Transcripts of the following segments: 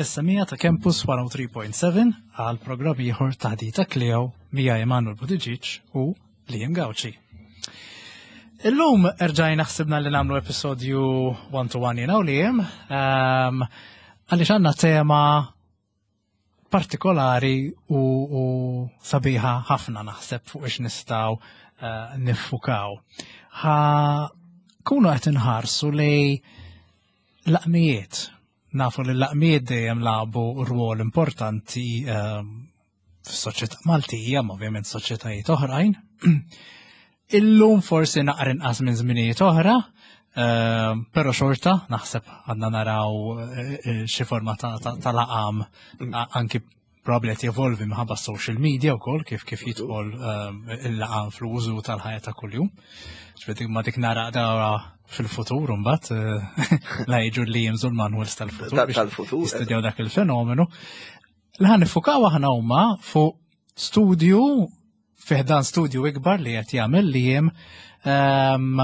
lis-semija ta' Campus 103.7 għal programm ieħor taħdita Kleo mija Emanuel Buttigieg u Liam Gauci. Illum erġajna ħsibna li nagħmlu episodju one to one jiena u Liam ehm, għaliex għandna tema partikolari u, u sabiħa ħafna naħseb fuq ix nistgħu uh, niffukaw. Ħa kunu qed inħarsu li laqmijiet. Nafu li l-laqmijiet dejjem lagħbu rwol importanti uh, fis-soċjetà Maltija, ma ovvjament soċjetajiet oħrajn. Illum forsi naqra inqas minn żminijiet oħra, ehm, però xorta naħseb għandna naraw eh, eh, xi forma ta' laqam anki probabli qed jevolvi minħabba social media wkoll kif kif jidħol ehm, il-laqam fl-użu tal-ħajja ta' kuljum. Ġifieri ma dik nara dawra fil-futur imbagħad eh, la jiġu li jimżu l-manuals tal-futur. Tal-futur. Jistudjaw dak il-fenomenu. Li ħan nifukaw aħna huma fuq studju fih dan studju ikbar li qed jagħmel li jiem ehm,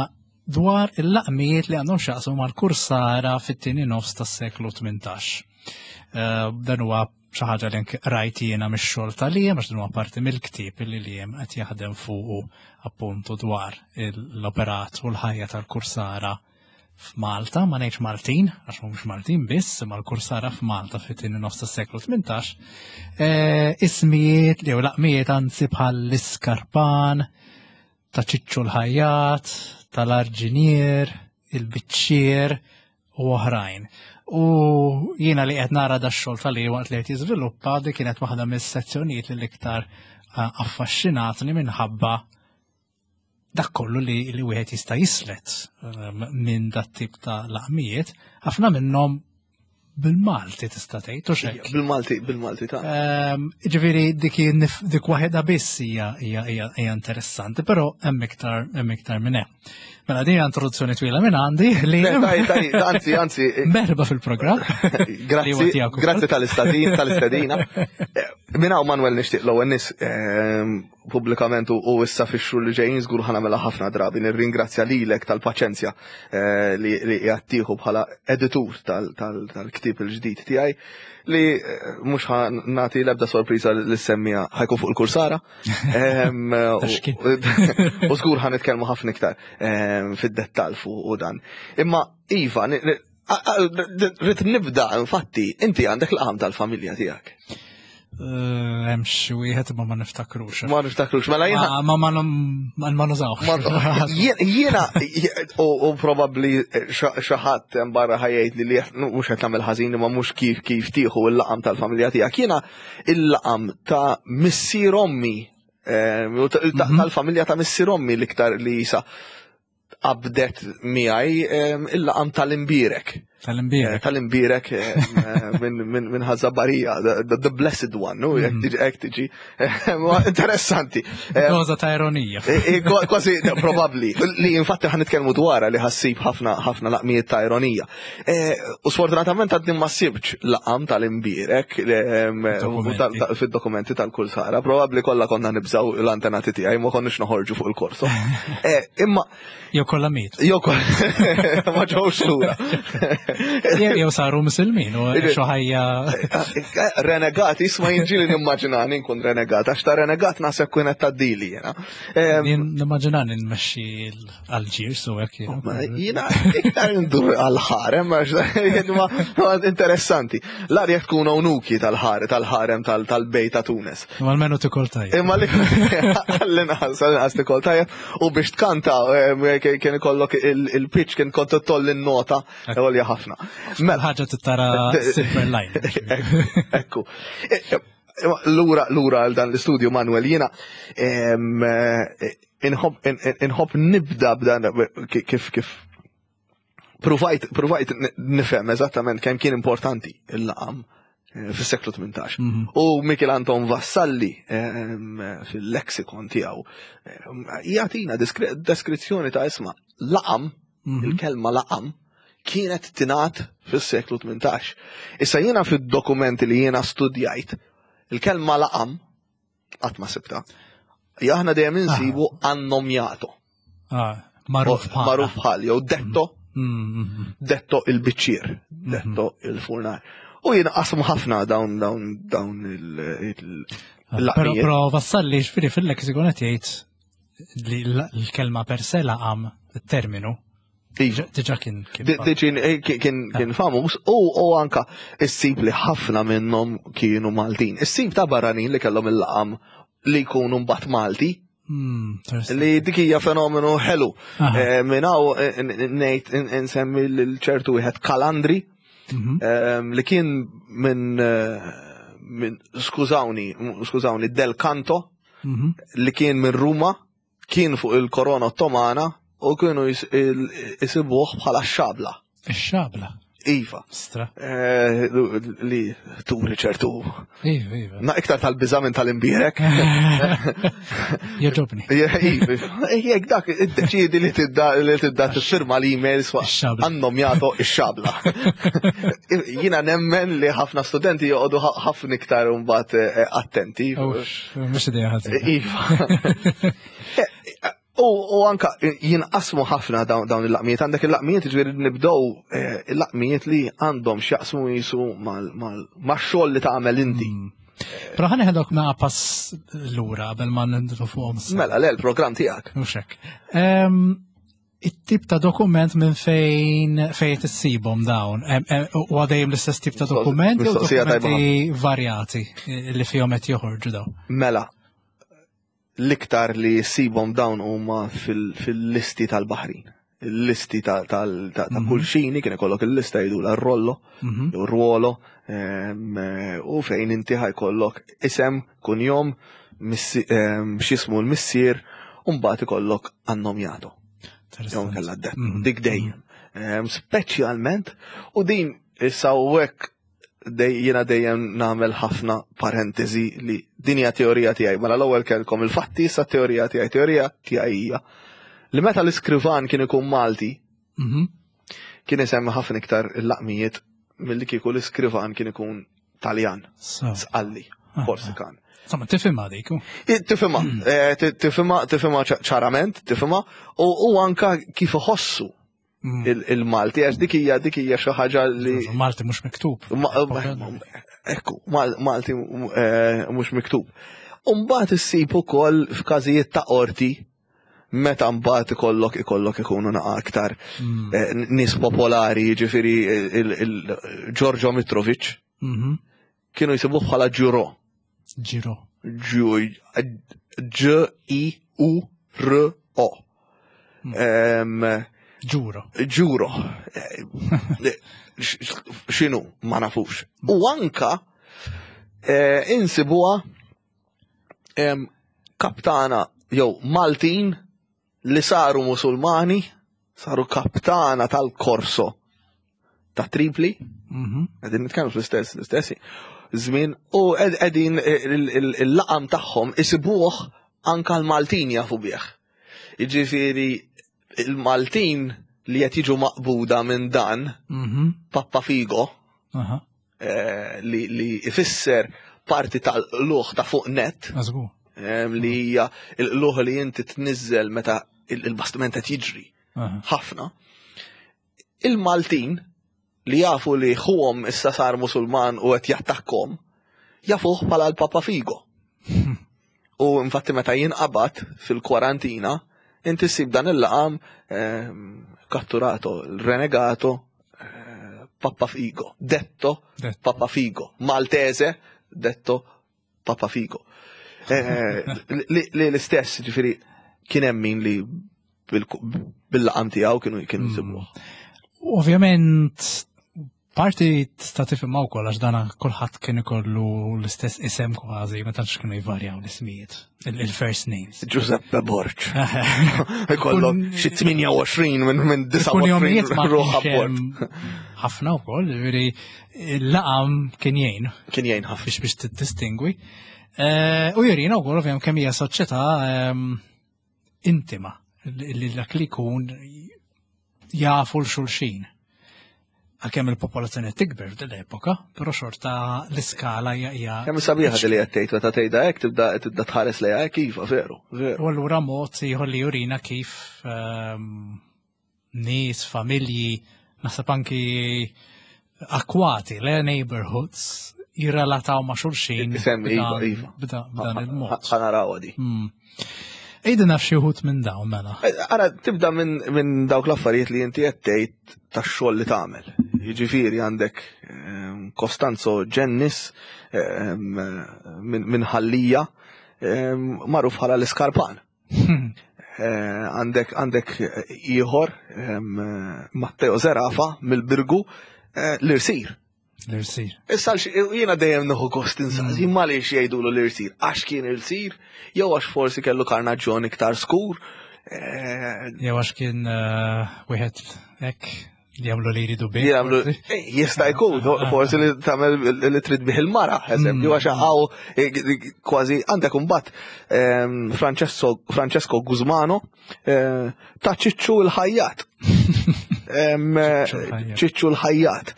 dwar il-laqmijiet li għandhom xaqsu mal-kursara fit-tieni nofs tas-seklu 18. Ehm, dan huwa xi ħaġa li rajt jiena mix-xogħol tal-jiem għax dan huwa parti mill-ktieb li l-jiem qed jaħdem fuqu appuntu dwar l-operat u l-ħajja tal-kursara f'Malta, ma ngħidx Maltin, għax mhumiex Maltin biss, imma l-kursara f'Malta fit-tieni nofs tas-seklu 18, eh, ismijiet jew laqmijiet anzi bħal l-iskarpan, ta' ċiċċu l-ħajjat, tal-arġinier, il-biċċier u oħrajn. U jiena li qed nara da xogħol tal waqt li qed jiżviluppa dik kienet waħda mis-sezzjonijiet li l-iktar eh, affaxxinatni minħabba dak kollu li, li wieħed jista' jislet ehm, minn dat tip ta' laqmijiet, ħafna minnhom bil-Malti tista' tgħid u xejn. Bil-Malti, bil-Malti ta' ehm, Ġifieri dik dik waħedha biss hija hija interessanti, però hemm iktar hemm iktar minn hemm. Mela din introduzzjoni twila minn għandi li. Anzi, anzi. Merba fil-programm. Grazzi, grazzi tal-istadin, tal-istadina. Eh, minn hawn Manuel nixtieq l-ewwel nies ehm, pubblikament u issa fix-xhur li ġejjin żgur ħa nagħmilha ħafna drabi nirringrazzja lilek tal-paċenzja eh, li qiegħed tieħu bħala editur tal-ktieb il-ġdid tiegħi li eh, mhux ħa nagħti l-ebda sorpriża li semmija ħajkun fuq il-kursara. U żgur ħa nitkellmu ħafna iktar fid-dettall fuq dan. Imma Iva, Rrid nibda, infatti, inti għandek l-qam tal-familja tiegħek. Eh, hemm xi wieħed imma ma niftakrux. Ma niftakrux, mela jiena. Ma ma ma nużawx. Jiena u probabbli xi ħadd hemm barra ħajjgħid li li mhux qed nagħmel ħażin imma mhux kif kif tieħu l-laqam tal-familja tiegħek. Jiena il-laqam ta' missier ommi eh, mhm. tal-familja ta' missier ommi l-iktar li jisa qabdet miegħi il-laqam tal-imbirek. Tal-imbirek. Eh, tal-imbirek minn ħazzabarija, the blessed one, no? Jek mm. tiġi, jek tiġi. Interessanti. Doza ta' ironija. Eh, eh, kważi, probabli. Li infatti ħan nitkellmu dwarha li ħassib ħafna ħafna laqmijiet ta' ironija. U sfortunatament għadni ma sibx laqam tal-imbirek fid-dokumenti tal-kull sara. Probabli kollha konna nibżaw l-antenati tiegħi ma konniex noħorġu fuq il-korso. Imma Jew kollha miet. Jew kollha ma ġewx lura. Jew saru musulmin u xi ħajja. Renegat, isma' jinġili nimmaġinani nkun renegat, għax ta' renegat naħseb kienet ta' dili jiena. Nimmaġinani nmexxi l-Alġir su hekk. Jiena iktar ndur għal-ħarem, għax interessanti. L-arja tkun onuki tal-ħarem tal-ħarem tal-bejt ta' Tunes. Imma almenu tikol tajjeb. Imma li għall-inqas, għall-inqas tikol tajjeb. U biex tkanta eh, kien ikollok il-pitch kien kont tolli n-nota għolja ħafna. Mela ħaġa tittara silver line. Ekku. Eh, eh, lura lura għal dan l-istudju Manuel jiena inħobb nibda b'dan kif kif Pruvajt, pruvajt nifhem eżattament kemm kien importanti il-laqam eh, fis-seklu 18. Mhm. U Michel Anton Vassalli ehm, fil-lexikon tiegħu ehm, jagħtina deskrizzjoni ta' isma' laqam, mhm. il-kelma laqam, kienet tingħad fis-seklu 18. Issa jiena fid-dokumenti li jiena studjajt, il-kelma laqam Qatt ma sibta. Aħna dejjem insibu ah. annomjato. Ah, magħruf bħal. Magħruf bħal, jew detto, mm, mm, mm. detto il-biċċier, detto il-furnar. U jinqasmu ħafna dawn dawn dawn il-laqmijiet. Però Vassalli ġifieri fil-lexikon qed jgħid li l-kelma per se laqam it-terminu Iva. Diġa kien eh, kien kien famuż u anka issib li ħafna minnhom kienu Maltin. Issib ta' barranin li kellhom il-laqam li jkunu mbagħad Malti. Hmm, li dik hija fenomenu ħelu. Eh, minn hawn eh, ngħid insemmi lil ċertu wieħed Kalandri mhm. li kien minn minn skużawni, skużawni Del Canto mhm. li kien minn Ruma kien fuq il-korona ottomana u kienu jisibuh bħala xabla. Ix-xabla? Iva. Stra. Eh, li turi ċertu. Iva, iva. Na iktar tal-biża minn tal-imbierek. Joġobni. Iva. Jek dak iddeċiedi li tidda li tidda tiffirma l-emails għandhom jagħtu ix-xabla. Jiena nemmen li ħafna studenti joqogħdu ħafna iktar mbagħad eh, attenti. Mhux idea ħażina. Iva. Eh, u anka jinqasmu ħafna dawn il-laqmijiet. Għandek il-laqmijiet ġifieri nibdew eh, il-laqmijiet li għandhom x'jaqsmu jisu mal-xogħol li tagħmel inti. Hmm. Pero ħani ħedok naqa pass lura qabel ma nindru fuqhom. Mela, le l-programm tiegħek. Mhux hekk. It-tip ta' dokument minn fejn fejn tissibhom dawn. U għadejjem l-istess tip ta' dokument jew dokumenti varjati li fihom qed joħorġu dawn. Mela, l-iktar li ssibhom dawn huma fil-listi tal-baħrin. Il-listi ta' mhm. kull xini kien ikollok il-lista jgħidulha r-rollo, mhm. jew ruolo, u fejn inti ħajkollok isem, kunjom, x'jismu l-missier, u mbagħad ikollok annomjato. Jew kella d mhm. dik dejjem. Mhm. Speċjalment, u din issa u hekk jiena dejjem nagħmel ħafna parentesi li din hija teorija tiegħi. Mela l-ewwel kellkom il-fatti issa teorija tiegħi. Teorija tiegħi hija li meta l-iskrivan kien ikun Malti, mhm. kien isemmi ħafna iktar il-laqmijiet milli kieku l-iskrivan kien ikun Taljan, Sqalli, ah, Korsikan. Ah. Insomma, tifhimha dik. Tifhimha, hmm. eh, tifhimha, tifhimha ċarament, tifhimha, u anka kif iħossu hmm. il-Malti, għax dik hija dik hija xi ħaġa li. Malti mhux miktub. Ekku, Malti eh, mhux miktub. Umbagħad issib ukoll f'każijiet ta' qorti meta mbagħad ikollok ikollok ikunu naqa aktar mm. eh, nies popolari, jiġifieri il-Giorgio Mitrovic mhm. kienu jsibuh bħala Ġuro. Ġiro. G-I-U-R-O. Mm. Ġuro. Ġuro. Eh, x'inhu ma nafux. U anka eh, insibuha kaptana jew Maltin li saru Musulmani, saru kaptana tal-Korso ta' Tripli, mhm. qegħdin nitkellmu fl-istess l-istess żmien u qegħdin il-laqam tagħhom isibuh anka l-Maltin jafu bih. Jiġifieri il-Maltin li qed jiġu maqbuda minn dan, mhm. Pappa Figo, eh, li ifisser parti tal-luħ ta' fuq net. Eh, li hija l-luħ li inti tniżżel meta il-bastiment qed jiġri ħafna. Il-Maltin li jafu li ħuhom issa sar Musulman u qed jattakkom, jafuh bħala l-Papa Figo. U infatti meta jinqabad fil-kwarantina, inti ssib dan il-laqam ehm, katturato, renegato, eh, Papa Figo, detto Papa Figo, Maltese, detto Papa Figo. Eh, li l-istess, ġifiri, kien hemm min li bil-laqam tiegħu kienu kienu jsibuh. Hmm. Ovvjament, parti tista' tifhimha wkoll għax dana kulħadd kien ikollu l-istess isem kważi, ma tantx kienu jvarjaw l-ismijiet, il-first names. Giuseppe Borg. Ikollok xi 28 minn minn 29 ruħ abbord. Ħafna wkoll, ġifieri il-laqam kien jgħin. Kien jgħin ħafna. Biex biex tiddistingwi. Eh, u jurina wkoll ovvjament kemm hija soċjetà ehm, intima li dak li jkun jafu l-xulxin. Għalkemm il-popolazzjoni tikber f'din l-epoka, però xorta l-iskala hija. Kemm sabiħa li qed tgħid meta tgħidha hekk tibda tibda tħares lejha hekk iva veru, veru. U allura mod ieħor li jurina kif ehm, nies, familji, naħseb anki akwati, le neighborhoods, jirrelataw ma' xulxin. Isem, iva, iva. B'dan il-mod. Ħanaraw di. Ejdi naf xi wħud minn dawn mela. Eh, ara, tibda minn dawk l-affarijiet li inti qed tgħid tax-xogħol li tagħmel. Jiġifieri għandek Costanzo Gennis minn Ħallija magħruf bħala l-Iskarpan. Eh, għandek għandek ieħor Matteo Zerafa mill-Birgu eh, l-irsir. L-irsir. Issa jiena dejjem nieħu gost insaqsi mm. ma għaliex jgħidulu l-irsir. Għax kien irsir, jew għax forsi kellu karnaġġjon iktar skur. Eh, jew għax kien wieħed hekk Li jagħmlu li jridu bih. Jagħmlu eh, jista' jkun, forsi li tagħmel li trid bih il-mara, eżempju, għax hawn eh, kważi għandek imbagħad ehm, Francesco Guzmano eh, ta' ċiċċu l-ħajjat. Ehm, ċiċċu l-ħajjat.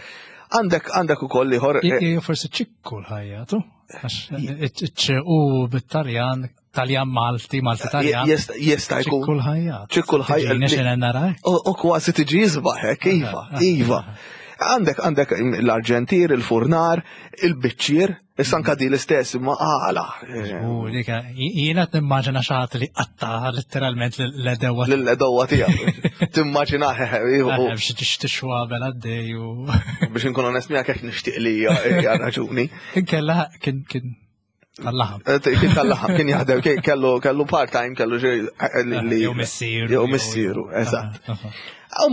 Għandek għandek ukoll ieħor. Forsi ċikku l-ħajjat, għax u bit-Taljan Taljan Malti, Malti Taljan. Jista' jkun. Ċikku l-ħajja. Ċikku l-ħajja. U kważi tiġi jisbaħ hekk, iva, iva. Għandek għandek l-arġentir, il-furnar, il-biċċir, issa anka di l-istess ma għala. U dik jiena nimmaġina xi ħadd li qatta letteralment l-edewa. L-edewa tiegħu. Timmaġina biex tixtixwa bel għaddej u. Biex inkun onest miegħek hekk nixtieq li hija raġuni. Inkella kien kien Tal-laħam. Eh, kien tal-laħam, kien jaħdem, kellu kellu part-time, kellu xi eh, li. Jew missieru. Jew missieru, eżatt.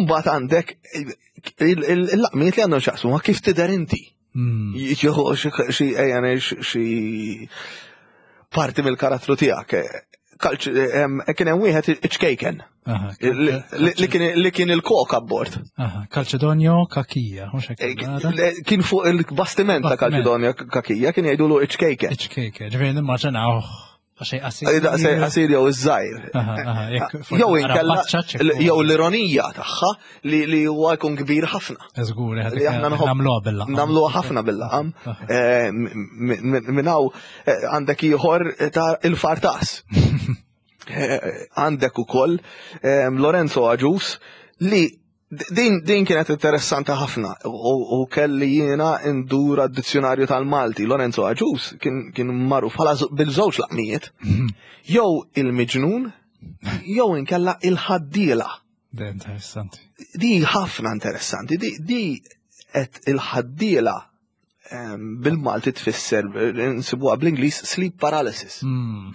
Mbagħad għandek il-laqmiet li għandhom xaqsmu ma kif tidher inti. Hmm. Jieħu xi ejja xi parti mill-karattru tiegħek. Kien hemm wieħed iċkejken. Li kien il-kok abbord. Calcedonio Kakija, mhux hekk. Eh, kien fuq il-bastiment ta' Calcedonio Kakija, kien jgħidulu iċkejken. Iċkejken, ġifieri nimmaġinaw xej qasir. Eh, daqsej qasir jew iż-żgħir. Jew inkella jew l-ironija tagħha li huwa jkun kbir ħafna. Żgur, li aħna nagħmluha bil-laqam. Nagħmluha ħafna bil-laqam. Eh, minn hawn għandek ieħor ta' il-fartas. Għandek ukoll Lorenzo Aġus li din, din kienet interessanti ħafna u, kelli jiena ndura d-dizzjonarju tal-Malti. Lorenzo Aġus kien, kien magħruf bħala bil-żewġ laqmijiet. Mhm. Jew il-miġnun, jew inkella il-ħaddiela. Interessanti. Di ħafna interessanti. Di, di qed il-ħaddiela bil-Malti tfisser, nsibuha bl-Ingliż sleep paralysis. Hmm.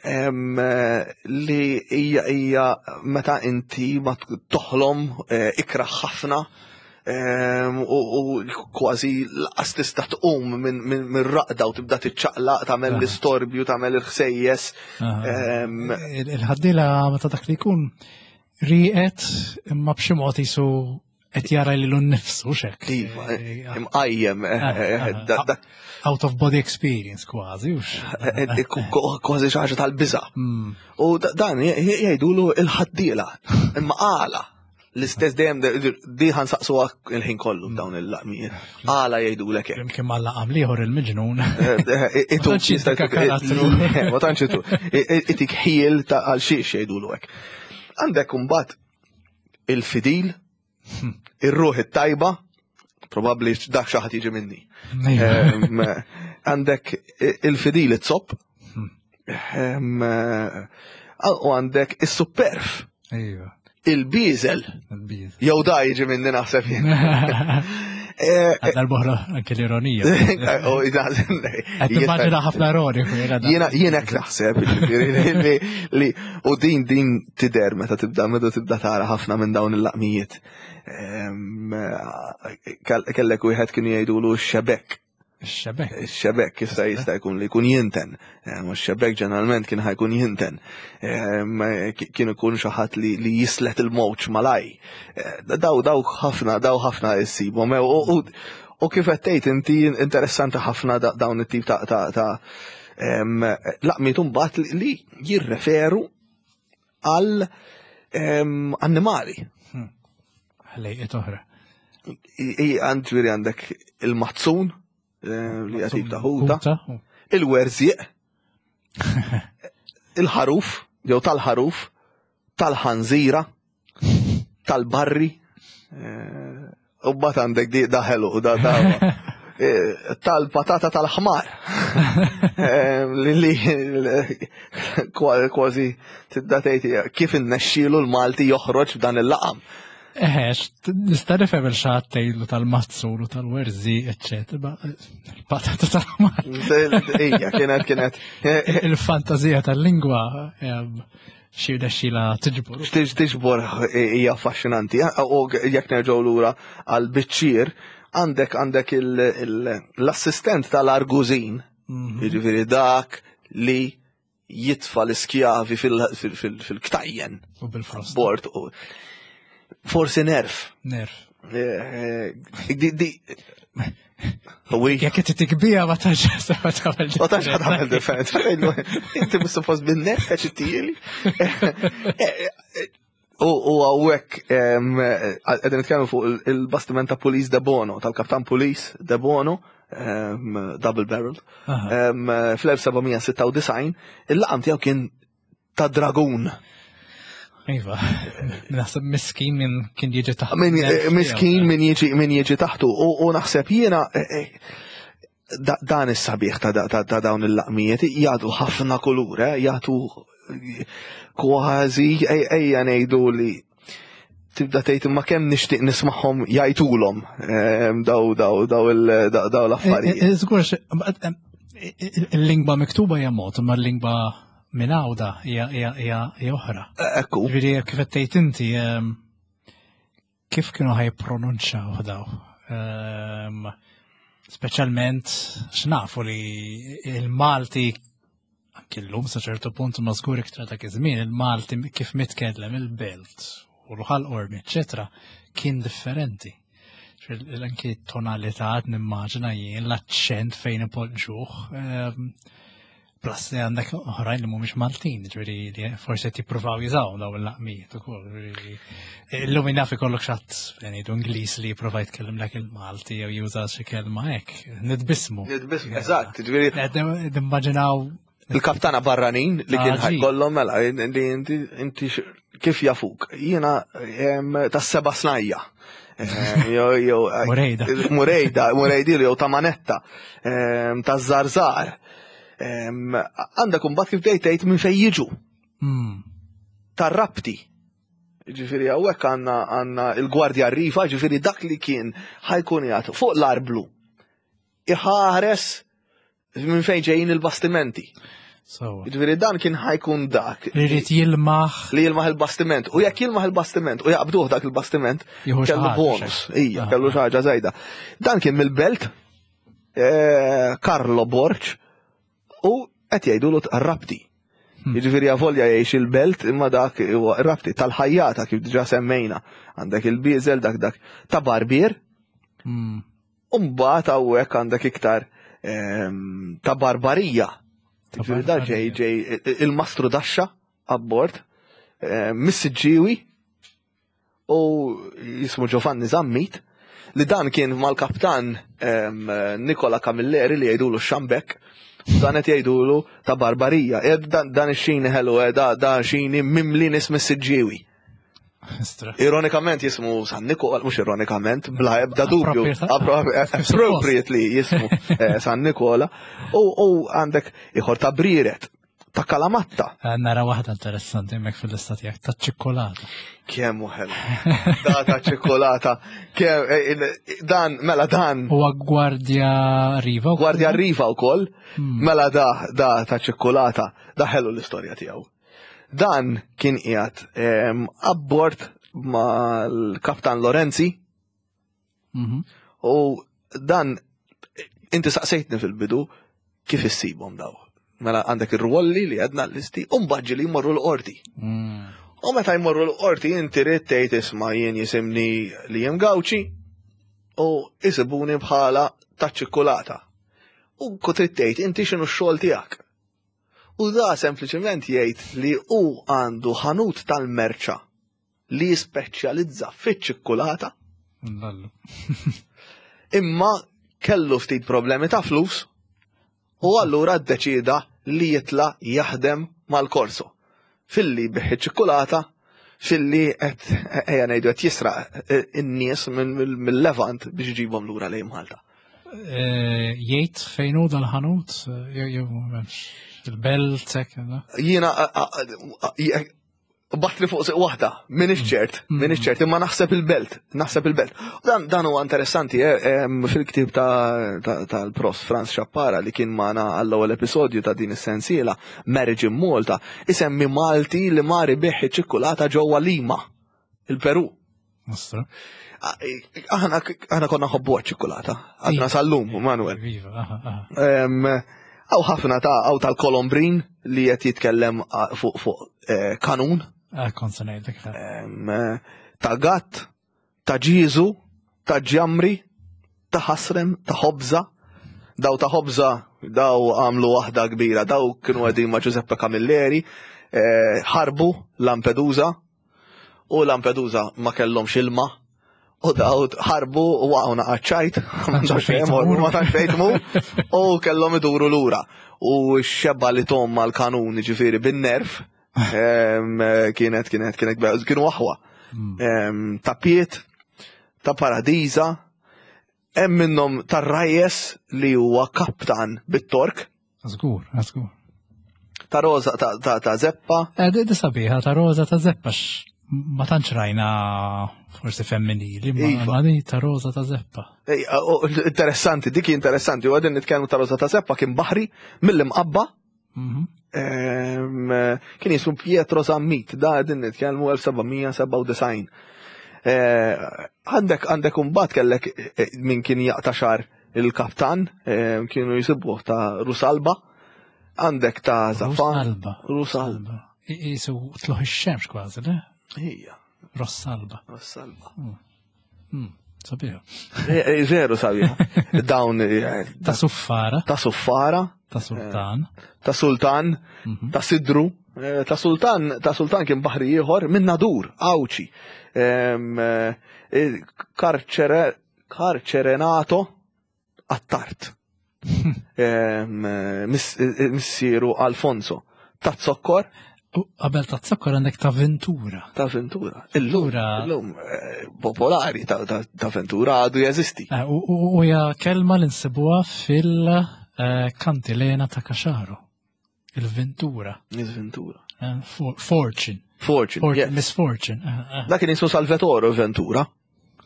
Li hija hija meta inti ma toħlom eh, ikra ħafna u kważi laqas tista' tqum minn raqda u tibda tiċċaqlaq tagħmel l-istorbju, tagħmel il-ħsejjes. Il-ħaddila meta dak li jkun riqet imma b'xi mod jisu qed jara lilu nnifsu xek. Iva, eh, imqajjem. Eh, eh, ah, out of body experience kważi, Kważi xi ħaġa tal-biża. Hmm. U dan jgħidulu il-ħaddiela, imma għala. L-istess dejjem di ħansaqsuha il-ħin kollu hmm. dawn il-laqmijiet. Għala jgħidulek hekk. Imkien ma laqam liħor il-miġnun. Itu Ma tantx itu. Itik ħiel ta' għal xiex jgħidulu hekk. Għandek imbagħad il-fidil, ir-ruħ it-tajba, probabbli dak xi ħadd jiġi minni. Għandek il-fidil it-zopp, u għandek is-superf. Il-biżel. Jew da jiġi minni naħseb jien. Eh, eh, Għal-boħra anke l-ironija. Oh, Immaġina ħafna ironiku. Jiena jiena hekk naħseb li u din din tider meta tibda meta tibda tara ħafna minn dawn il-laqmijiet. Ehm, kellek wieħed kienu jgħidulu x-xebek. Xebek. Xebek, issa jista' jkun li jkun jinten. Eh, ma xebek ġeneralment kien ħajkun jinten. Eh, kien ikun xi ħadd li jislet il-mowġ malaj. Eh, daw daw ħafna, daw ħafna issibhom. U kif qed tgħid inti interessanti ħafna dawn it-tip ta' ta' laqmiet imbagħad li jirreferu għal annimali. Hmm. Ħlejqiet oħra. Għand ġifieri għandek il-mazzun eh, li għatib ta' ħuta, il-werżieq, il-ħaruf, jew tal-ħaruf, tal-ħanżira, tal-barri, eh, U bat għandek di daħelu, da da. Eh, tal-patata tal-ħmar. Eh, li kważi tibda tgħid kif innexxielu l-Malti joħroġ b'dan il-laqam. Eħe, nista' nifhem il-xatt tgħidlu tal-mazzur u tal-werżi, eċċetera, il-patata tal-ħmar. Ija, kienet kienet. Il-fantazija tal-lingwa xi rnexxila tiġbor. Tiġbor hija affaxxinanti. U jekk nerġgħu lura għal biċċier, għandek għandek l-assistent tal-argużin, mhm. jiġifieri dak li jitfa l-iskjavi fil-ktajjen. U bil-frost. Bord. Forsi nerf. Nerf. Eh, eh, Jekk qed tikbija ma tantx ma tagħmel. Ma tantx tagħmel differenza. Inti mhux suppost bin-nerf qed ittili. U hawnhekk qegħdin nitkellmu fuq il-bastiment ta' Police de Bono, tal-Kaptan Police de Bono, double barrel, fl-1796, il-laqam tiegħu kien ta' dragun. Iva, naħseb miskin minn kien jiġi taħtu. Min, eh, miskin minn jiġi min jiġi taħtu. U naħseb jiena eh, eh, dan is-sabiħ ta' dawn il-laqmijiet jagħtu ħafna kulur, jagħtu kważi ejja ngħidu li tibda tgħid imma kemm nixtieq nismagħhom jgħidulhom daw daw daw daw l-affarijiet. Żgur il-lingwa miktuba hija mod, imma l-lingwa minn għawda hija oħra. Ekku. Ġifieri kif qed tgħid inti kif kienu ħajpronunċaw daw? Speċjalment x'nafu li il-Malti anki llum sa ċertu punt ma żgur iktar dak iż-żmien il-Malti kif mitkellem il-belt u l-ħal qormi, eċetera, kien differenti. Anki tonalità nimmaġina jien l-aċċent fejn ipoġġuh. Ehm, plus li għandek oħrajn li mhumiex Maltin, ġifieri li forsi qed jippruvaw jużaw dawn il-laqmijiet ukoll. Illum naf ikollok xatt ngħidu Ingliż li jipprova jitkellem lek il-Malti jew juża xi kelma hekk. Nitbismu. Nitbismu, eżatt, ġifieri. Nimmaġinaw il-kaptana barranin li kien ħajkollhom mela li inti inti kif jafuk. Jiena tas-seba' snajja. Murejda. Murejda, Murejdi jew ta' manetta, ta' zarzar. Għandek imbagħad kif bdejt tgħid minn fejn jiġu. Hmm. Tar-rabti. Ġifieri hawnhekk għandna għandna il-Gwardja Rifa, ġifieri dak li kien ħajkun jgħat fuq l-arblu. Iħares minn fejn ġejjin il-bastimenti. Ġifieri dan kien ħajkun dak. Li jrid jilmaħ. Li jilmaħ il-bastiment. U jekk jilmaħ il-bastiment u jaqbduh dak il-bastiment, kellu bonus. Ija, kellu xi ħaġa żejda. Dan kien mill-belt eh, Carlo Borg u qed jgħidulu rabti. Hmm. Jiġifieri avolja jgħix il-belt imma dak huwa rabti tal-ħajjata kif diġà semmejna. Għandek il-bieżel dak dak ta' barbier. Hmm. U mbagħad hawnhekk għandek iktar ehm, ta' barbarija. Ġifieri da ġej ġej il-mastru daxxa abbord, ehm, mis-Siġġiewi u jismu Giovanni Zammit li dan kien mal-kaptan ehm, Nikola Camilleri li jgħidulu xambek dan qed jgħidulu ta' barbarija. E, dan ix-xini ħelu, e, da xini mimli nies mis-Siġġiewi. Ironikament jismu San Nikola, mux ironikament, bla ebda dubju, appropriately jismu eh, San Nikola, u għandek iħor ta' briret, ta' kalamatta. Eh, nara waħda interessanti mek fil-lista tiegħek ta' ċikkolata. Kemm uħel. Da ta' ċikkolata. Kemm eh, dan mela dan. Huwa Gwardja Riva. Gwardja Riva wkoll. Hmm. Mela da da ta' ċikkolata, da ħelu l-istorja tiegħu. Dan kien qiegħed ehm, abbord mal-Kaptan Lorenzi. Mhm. U dan inti saqsejtni fil-bidu kif issibhom daw. Mela għandek ir-rwolli li għedna l-listi u mbagħad li jmorru l-qorti. Mm. U meta jmorru l-qorti inti rid tgħid isma' jien jisimni li jem Gawċi u isibuni bħala taċ-ċikkulata. U trid tgħid inti x'inhu x-xogħol tiegħek. U da sempliċement jgħid li hu għandu ħanut tal-merċa li jispeċjalizza fiċ-ċikkulata. Imma kellu ftit problemi ta' flus u allura ddeċieda li jitla jaħdem mal-korso. Filli biħi ċikkulata, filli qed ejja ngħidu qed jisraq eh, in-nies mill-Levant biex iġibhom lura lejn Malta. Eh, jgħid fejn hu dal-ħanut, eh, jew m'hemmx il-belt hekk. Jiena batli fuq siq waħda, minix mm. ċert, minix mm. ċert, imma naħseb il-belt, naħseb il-belt. Dan, dan huwa interessanti, eh, fil-ktib tal-prof Franz Xappara li kien magħna għall-ewwel episodju ta' din is-sensiela, Marriage in Malta, isemmi Malti li mari biħ ċikkulata ġewwa Lima, il-Peru. Nostra. Aħna aħna konna ħobbu ċikkulata, għadna sal-lum, Manuel. Iva, Għaw ħafna ta' għaw tal-Kolombrin li qed jitkellem fuq fuq eh, kanun. Ah, kont se ngħidlek. Ta' gatt, ta' ġiżu, ta' ġamri, ta' ħasrem, ta' ħobża. Daw ta' ħobża, daw għamlu waħda kbira, daw kienu għedin ma' Giuseppe Camilleri, eh, ħarbu Lampedusa, u Lampedusa ma kellhomx ilma, u daw ħarbu u waqgħu naqgħad ma tantx fejn tmur, u kellhom iduru lura. U x-xebba li tom mal-kanun ġifieri bin-nerf, kienet kienet kienet kienu aħwa. Hmm. Ta' Piet, ta' Paradiża, hemm minnhom tar-Rajjes li huwa kaptan bit-Tork. Żgur, żgur. Ta' Rosa ta', ta, ta Zeppa. Eh, di sabiħa ta' Rosa ta' Zeppa ma tantx rajna forsi femminili, ma iva. di ta' Rosa ta' Zeppa. Interessanti, dik interessanti, u għadin nitkellmu ta' Rosa ta' Zeppa kien baħri mill-imqabba Mhm. Kien jismu Pietro Zammit, da din nitkellmu 1797. Eh, għandek għandek umbat kellek eh, min kien jaqta xar il-kaptan, eh, kienu jisibuh ta' Rusalba, għandek ta' Zafan. Rusalba. Rusalba. Jisu tluħ ix-xemx kważi, le? Ija. Rossalba. Rossalba. Mm. Mm, sabiħa. Eh, eh, veru sabiħa. Dawn. Eh, ta' suffara. Ta' suffara. Ta' sultan. Ta' sultan. Mhm. Ta' sidru. Ta' sultan, ta' sultan kien baħri ieħor minn Nadur, Awċi. Karċere, karċerenato Attard. Missieru Alfonso. Ta' zokkor. U qabel ta' zokkor għandek ta' Ventura. Ta' Ventura. Illum, eh, popolari ta' Ventura għadu jeżisti. Eh, u hija kelma li nsibuha fil-kantilena ta' Kaxaru. Il-Ventura. Il-Ventura. Eh, fortune. Fortune, yes. Misfortune. Dak kien jismu Salvatore Ventura.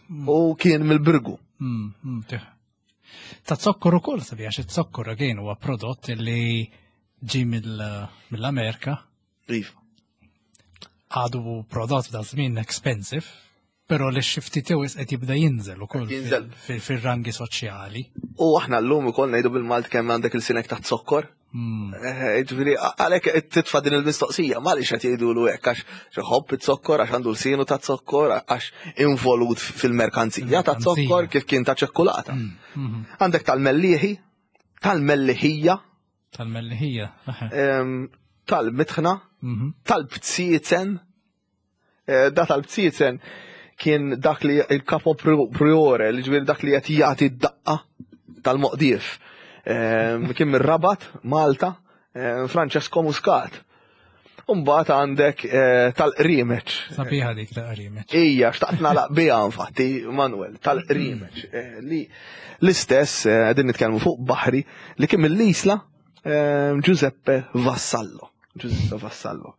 Mm. U kien mill-Birgu. Mm, mm, Ta' zokkor ukoll sabi għax it-zokkor again huwa prodott li ġi mill-Amerika. Iva. Għadu prodott da' żmien expensive, pero li xi ftit jew qed jibda jinżel ukoll fir-rangi soċjali. U aħna llum ukoll ngħidu bil-Malt kemm għandek il-sinek ta' zokkor. Hmm. Eh, ġifieri għalhekk titfa' din il-mistoqsija, ma għaliex qed jgħidulu hekk għax iħobb it-zokkor, għax għandu l-sinu ta' zokkor, għax involut fil-merkanzija ta' zokkor kif kien ta' ċekkulata. Hmm, hmm. Għandek tal-mellieħi, tal-melliħija. Tal-melliħija. Tal-mitħna, mhm. tal-bziezen, Eh, da tal-bziezen kien dak li il-kapo priore, li ġviri dak li qed jagħti d-daqqa tal-moqdief. Ehm, kien mir-Rabat, Malta, ehm, Francesco Muscat. Umbat għandek eh, tal-qrimeċ. Sabiħa dik tal-qrimeċ. Ija, xtaqt nalaq biha infatti, Manuel, tal-qrimeċ. Eh, li l-istess, din nitkellmu fuq baħri, li kien mill-Isla ehm, Giuseppe Vassallo. Giuseppe Vassallo.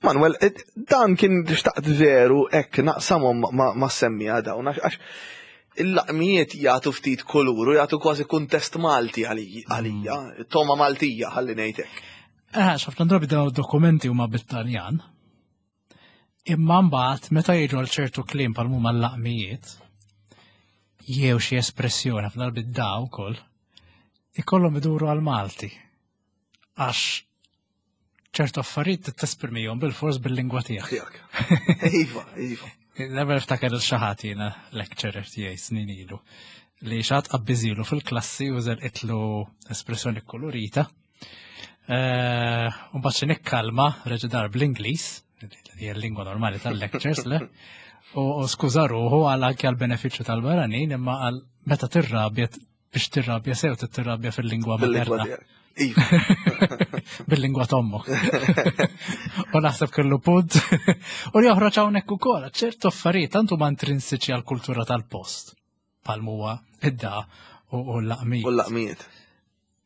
Manuel, eh, dan kien xtaqt veru hekk naqsamhom ma' semmija dawn għax il-laqmijiet jagħtu ftit kulur u jagħtu kważi kuntest Malti għalija, mm. toma Maltija ħalli ngħid hekk. Eh, ħafna drabi dawn dokumenti huma bit-Taljan. Imma mbagħad meta jiġu għal ċertu kliem bħal huma l-laqmijiet, jew xi espressjoni ħafna drabi daw ukoll, ikollhom iduru għal Malti. Għax ċertu affarijiet tesprimihom bil-fors bil-lingwa tiegħek. Iva, iva. Never ftakar il-xaħat jiena lecturer tiegħi snin ilu li xaħat qabbiżilu fil-klassi u itlu espressjoni kolorita. Eh, u mbagħad xi nikkalma reġa' dar bl-Ingliż, li hija l-lingwa normali tal-lectures, le? U skuża ruħu għal anke għal benefiċċju tal-barranin imma għal meta tirrabja biex tirrabja sew tirrabja fil-lingwa materna. Iva. Bil-lingwa t'ommok. U naħseb kellu punt. U li joħroġ hawnhekk ukoll ċertu affarijiet tant huma intrinsiċi għall-kultura tal-post. Bħal huwa id-da u l-laqmijiet. U l-laqmijiet.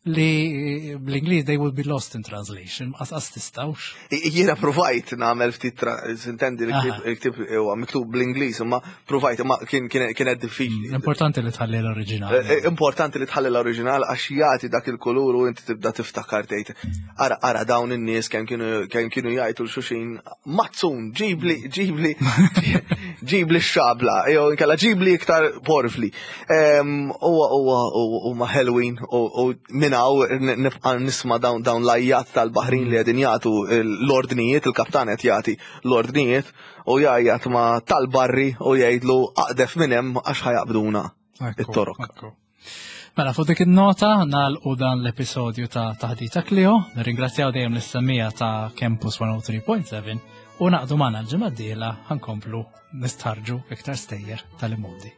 Li bl-Ingliż they would be lost in translation, qas tistawx. Jiena provajt nagħmel ftit intendi li l-ktib huwa miktub bl-Ingliż, imma provajt imma kien kienet diffiċli. Importanti li tħalli l-oriġinal. Eh, eh, importanti li tħalli l-oriġinal għax jagħti dak il-kulur u inti tibda tiftakar tgħid. Ara ara dawn in-nies kemm kienu kemm kienu jgħidu l-xuxin mazzun ġibli ġibli ġibli x-xabla jew inkella ġibli iktar porfli. Huwa huwa huma ħelwin u minn hawn nibqa' nisma' dawn dawn l-ajjat tal-baħrin li qegħdin jagħtu l-ordnijiet, il-kaptan qed jagħti l-ordnijiet u jgħajjat ma' tal-barri u jgħidlu aqdef minn hemm għax ħajaqbduna it-torok. Mela fuq dik in-nota nagħlqu dan l-episodju ta' Taħdita Klio, nirringrazzjaw dejjem lis-semmija ta' Campus 103.7 u naqdu magħna l-ġimgħa d-dieħla ħankomplu nistħarġu iktar stejjer tal-imodi.